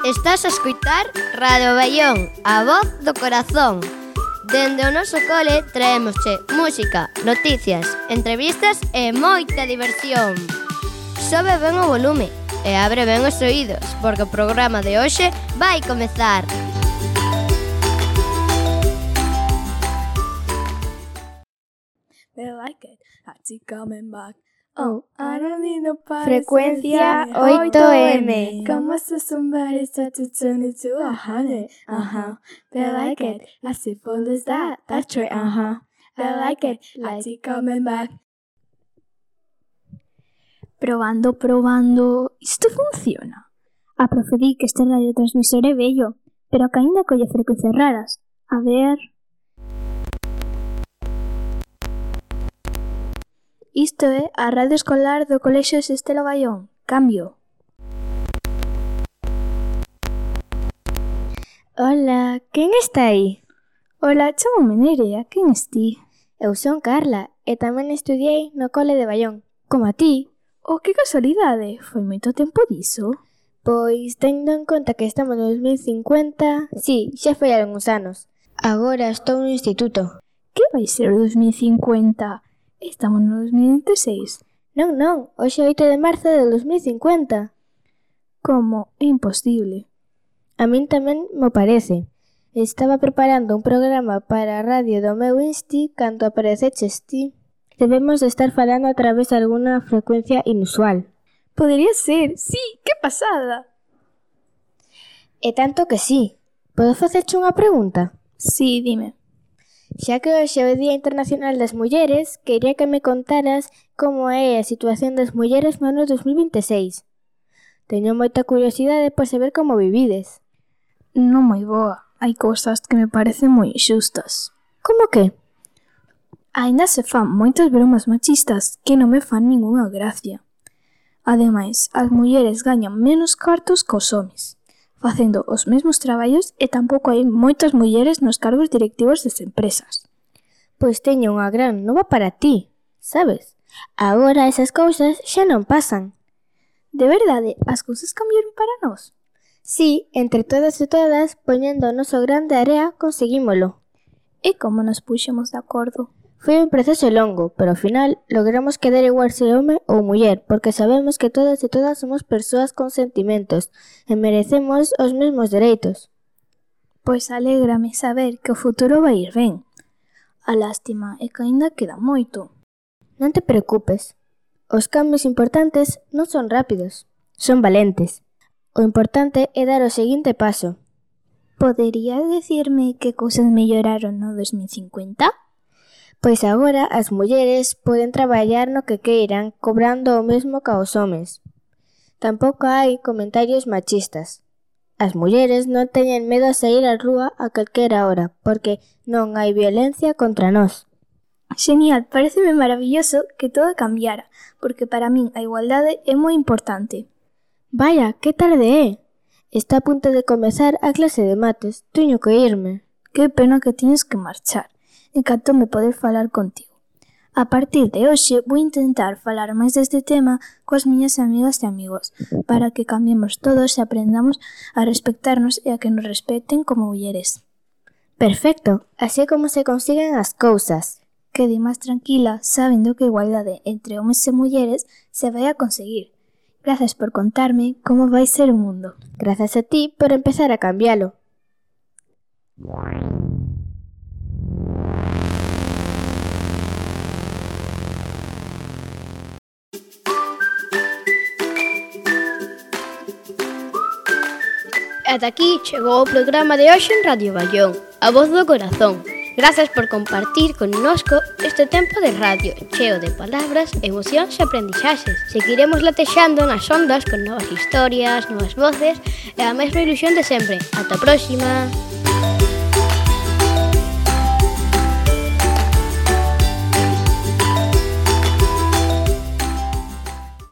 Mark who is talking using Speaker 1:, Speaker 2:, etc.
Speaker 1: Estás a escoitar Radio Baión, a voz do corazón. Dende o noso cole traémosche música, noticias, entrevistas e moita diversión. Sobe ben o volume e abre ben os oídos, porque o programa de hoxe vai comezar.
Speaker 2: Frecuencia 8M.
Speaker 3: Como si somebody started to turn it to 100. They like it. As if all is that's right. They like it. I keep coming back.
Speaker 2: Probando. Isto funciona. A profe di que este radiotransmisor é bello, pero que aínda colle frecuencias raras. A ver... Isto é a radio escolar do Colexio Sestelo Baión. Cambio.
Speaker 1: Hola, quen está aí?
Speaker 2: Hola, chamome Nerea, quen es ti?
Speaker 1: Eu son Carla e tamén estudiei no cole de Baión, como a ti.
Speaker 2: Oh, que casualidade, foi moito tempo diso.
Speaker 1: Pois, tendo en conta que estamos no 2050, sí, xa foi algúns anos. Agora estou no instituto.
Speaker 2: Que vai ser o 2050? Estamos no 2026.
Speaker 1: Non, hoxe é 8 de marzo de 2050.
Speaker 2: Como? É imposible.
Speaker 1: A min tamén me parece. Estaba preparando un programa para a radio do meu insti cando apareceches ti. Debemos de estar falando a través de alguna frecuencia inusual.
Speaker 2: Podería ser, sí, que pasada.
Speaker 1: E tanto que sí. Podo facerche unha pregunta?
Speaker 2: Sí, dime.
Speaker 1: Xa que hoxe é o Día Internacional das Mulleres, quería que me contaras como é a situación das mulleres no ano 2026. Teño moita curiosidade por saber como vivides.
Speaker 2: Non moi boa. Hai cousas que me parecen moi inxustas.
Speaker 1: Como que?
Speaker 2: Aínda se fan moitas bromas machistas que non me fan ningunha gracia. Ademais, as mulleres gañan menos cartos que os homes, facendo os mesmos traballos e tampouco hai moitas mulleres nos cargos directivos das empresas.
Speaker 1: Pois teño unha gran nova para ti, sabes? Agora esas cousas xa non pasan.
Speaker 2: De verdade, as cousas cambiaron para nós?
Speaker 1: Sí, entre todas e todas, poñendo o noso gran de area, conseguímolo.
Speaker 2: E como nos puxemos de acordo?
Speaker 1: Foi un proceso longo, pero ao final logramos que dar igual se home ou muller, porque sabemos que todas e todas somos persoas con sentimentos e merecemos os mesmos dereitos.
Speaker 2: Pois alégrame saber que o futuro vai ir ben. A lástima é que aínda queda moito.
Speaker 1: Non te preocupes. Os cambios importantes non son rápidos, son valentes. O importante é dar o seguinte paso.
Speaker 2: Poderías dicirme que cousas melloraron no 2050?
Speaker 1: Pois agora as mulleres poden traballar no que queiran, cobrando o mesmo que os homes. Tampouco hai comentarios machistas. As mulleres non teñen medo a sair á rúa a calquera hora, porque non hai violencia contra nós.
Speaker 2: Genial, pareceme maravilloso que todo cambiara, porque para min a igualdade é moi importante.
Speaker 1: Vaya, que tarde é? Está a punto de comezar a clase de mates. Teño que irme.
Speaker 2: Que pena que tienes que marchar. Encantoume poder falar contigo. A partir de hoxe vou intentar falar máis deste tema coas miñas amigas e amigos, para que cambiemos todos e aprendamos a respectarnos e a que nos respecten como mulleres.
Speaker 1: Perfecto, así é como se consiguen as cousas.
Speaker 2: Quede máis tranquila sabendo que a igualdade entre homes e mulleres se vai a conseguir. Grazas por contarme como vai ser o mundo.
Speaker 1: Grazas a ti por empezar a cambialo. Ata aquí chegou o programa de hoxe en Radio Baión, a voz do corazón. Grazas por compartir connosco este tempo de radio cheo de palabras, emocións e aprendizaxes. Seguiremos latexando nas ondas con novas historias, novas voces e a mesma ilusión de sempre. Ata a próxima!